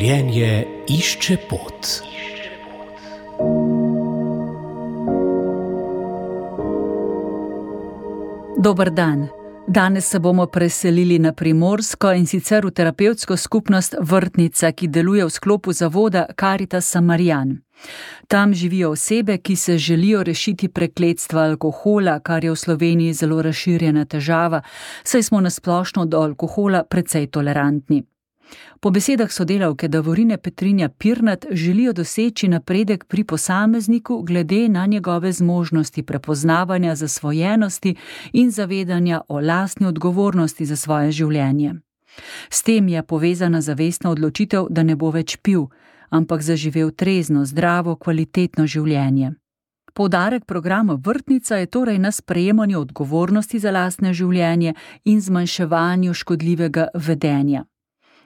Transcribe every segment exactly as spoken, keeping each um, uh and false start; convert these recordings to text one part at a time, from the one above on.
Življenje išče pot. Dober dan. Danes se bomo preselili na Primorsko in sicer v terapevtsko skupnost Vrtnica, ki deluje v sklopu zavoda Caritas Samarijan. Tam živijo osebe, ki se želijo rešiti prekletstva alkohola, kar je v Sloveniji zelo razširjena težava, saj smo na splošno do alkohola precej tolerantni. Po besedah sodelavke Davorine Petrinja Pirnat želijo doseči napredek pri posamezniku glede na njegove zmožnosti prepoznavanja zasvojenosti in zavedanja o lastni odgovornosti za svoje življenje. S tem je povezana zavestna odločitev, da ne bo več pil, ampak zaživel trezno, zdravo, kvalitetno življenje. Poudarek programa Vrtnica je torej na sprejemanju odgovornosti za lastne življenje in zmanjševanju škodljivega vedenja.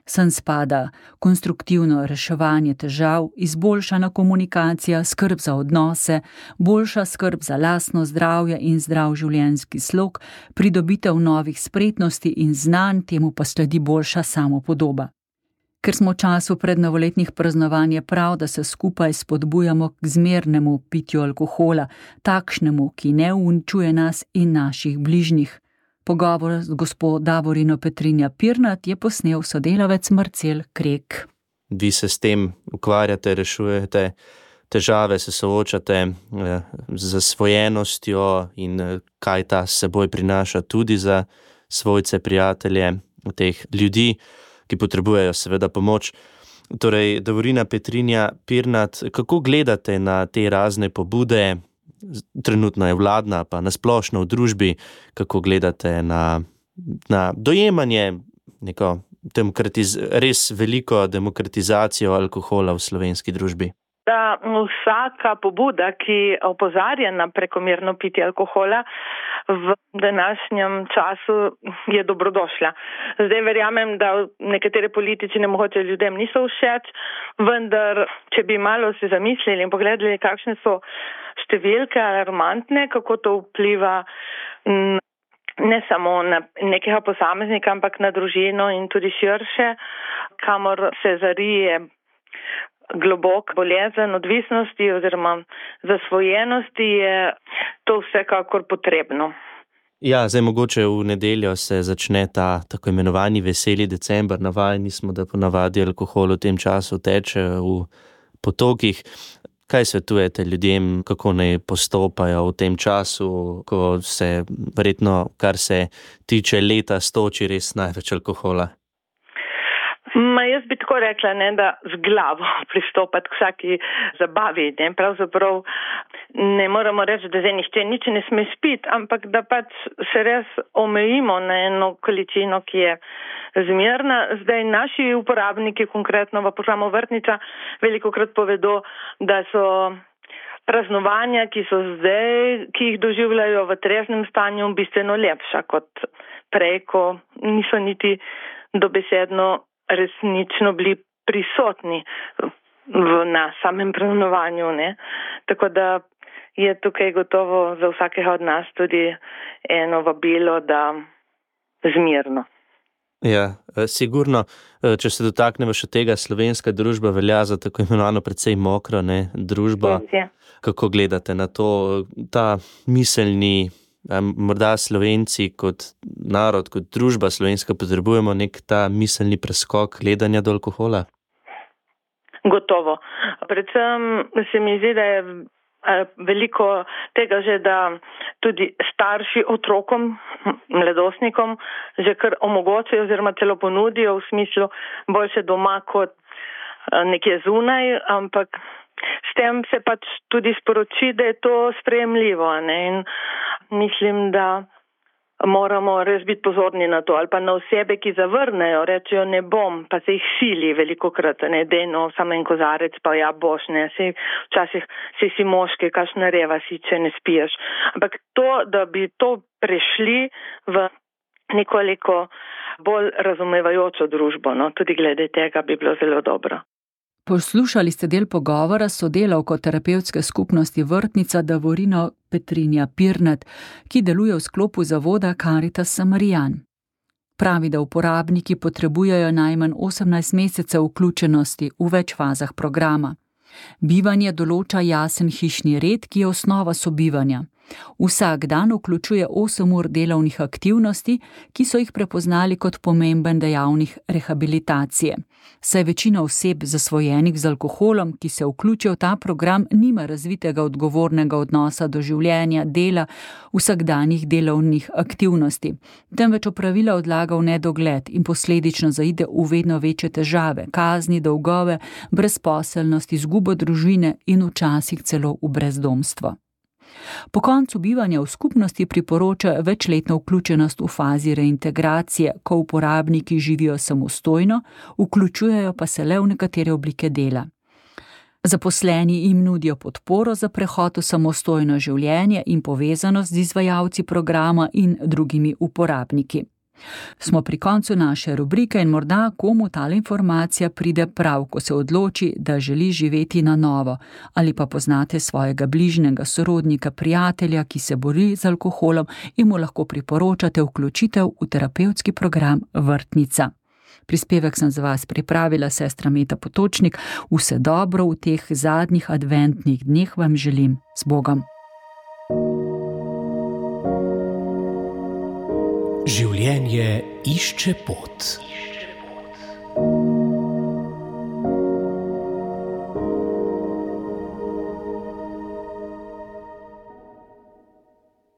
Sem spada konstruktivno reševanje težav, izboljšana komunikacija, skrb za odnose, boljša skrb za lastno zdravje in zdrav življenjski slog, pridobitev novih spretnosti in znanj, temu pa sledi boljša samopodoba. Ker smo v času prednovoletnih praznovanj, je prav, da se skupaj spodbujamo k zmernemu pitju alkohola, takšnemu, ki ne uničuje nas in naših bližnjih. Pogovor z gospo Davorino Petrinja Pirnat je posnel sodelavec Marcel Krek. Vi se s tem ukvarjate, rešujete težave, se soočate z zasvojenostjo in kaj ta s seboj prinaša tudi za svojce, prijatelje, teh ljudi, ki potrebujejo seveda pomoč. Torej, Davorina Petrinja Pirnat, kako gledate na te razne pobude? Trenutno je vladna, pa nasplošno v družbi, kako gledate na, na dojemanje neko demokratiz- res veliko demokratizacijo alkohola v slovenski družbi? Da vsaka pobuda, ki opozarja na prekomerno pitje alkohola v današnjem času, je dobrodošla. Zdaj verjamem, da nekatere politične mogoče ljudem niso všeč, vendar, če bi malo se zamislili in pogledali, kakšne so številke alarmantne, kako to vpliva ne samo na nekega posameznika, ampak na družino in tudi širše, kamor se zarije globok bolezen odvisnosti oziroma zasvojenosti, je to vsekakor potrebno. Ja, zdaj mogoče v nedeljo se začne ta tako imenovani veseli december. Navajeni smo, da ponavadi alkohol v tem času teče v potokih. Kaj svetujete ljudem, kako naj postopajo v tem času, ko se verjetno, kar se tiče leta, stoči res največ alkohola? Ma jaz bi tako rekla, ne, da z glavo pristopati k vsaki zabavi. Ne. Pravzaprav ne moramo reči, da zdaj nihče nič ne sme spiti, ampak da pač se res omejimo na eno količino, ki je zmerna. Zdaj naši uporabniki, konkretno v programu Vrtnica, velikokrat povedo, da so praznovanja, ki so zdaj, ki jih doživljajo v treznem stanju, bistveno lepša kot prej, ko niso niti dobesedno resnično bili prisotni v, na samem praznovanju. Ne? Tako da je tukaj gotovo za vsakega od nas tudi eno vabilo, da zmirno. Ja, sigurno, če se dotaknemo še tega, slovenska družba velja za tako imenovano precej mokro, ne, družbo. Ja. Kako gledate na to, ta miselni, morda Slovenci kot narod, kot družba slovenska potrebujemo nek ta miselni preskok gledanja do alkohola? Gotovo. Predvsem se mi zdi, da je veliko tega že, da tudi starši otrokom, mladostnikom že kar omogočajo oziroma celo ponudijo v smislu boljše doma kot nekje zunaj, ampak s tem se pač tudi sporoči, da je to sprejemljivo. Ne? In mislim, da moramo res biti pozorni na to, ali pa na osebe, ki zavrnejo, rečejo ne bom, pa se jih sili velikokrat, ne, dejno, samo en kozarec, pa ja boš, ne, sej včasih si si moški, kakšna reva si, če ne spiješ. Ampak to, da bi to prešli v nekoliko bolj razumevajočo družbo, no, tudi glede tega bi bilo zelo dobro. Poslušali ste del pogovora s sodelavko terapevtske skupnosti Vrtnica Davorino Petrinja Pirnat, ki deluje v sklopu zavoda Caritas Samarijan. Pravi, da uporabniki potrebujejo najmanj osemnajst mesecev vključenosti v več fazah programa. Bivanje določa jasen hišni red, ki je osnova sobivanja. Vsak dan vključuje osem ur delovnih aktivnosti, ki so jih prepoznali kot pomemben dejavnik rehabilitacije. Saj večina oseb zasvojenih z alkoholom, ki se vključijo v ta program, nima razvitega odgovornega odnosa do življenja, dela, vsakdanjih delovnih aktivnosti, temveč opravila odlaga v nedogled in posledično zaide v vedno večje težave, kazni, dolgove, brezposelnost, izgubo družine in včasih celo v brezdomstvo. Po koncu bivanja v skupnosti priporoča večletno vključenost v fazi reintegracije, ko uporabniki živijo samostojno, vključujejo pa se le v nekatere oblike dela. Zaposleni jim nudijo podporo za prehod v samostojno življenje in povezanost z izvajalci programa in drugimi uporabniki. Smo pri koncu naše rubrike in morda komu tale informacija pride prav, ko se odloči, da želi živeti na novo, ali pa poznate svojega bližnjega sorodnika, prijatelja, ki se bori z alkoholom in mu lahko priporočate vključitev v terapevtski program Vrtnica. Prispevek sem za vas pripravila sestra Meta Potočnik. Vse dobro v teh zadnjih adventnih dneh vam želim. Z Bogom. Življenje išče pot.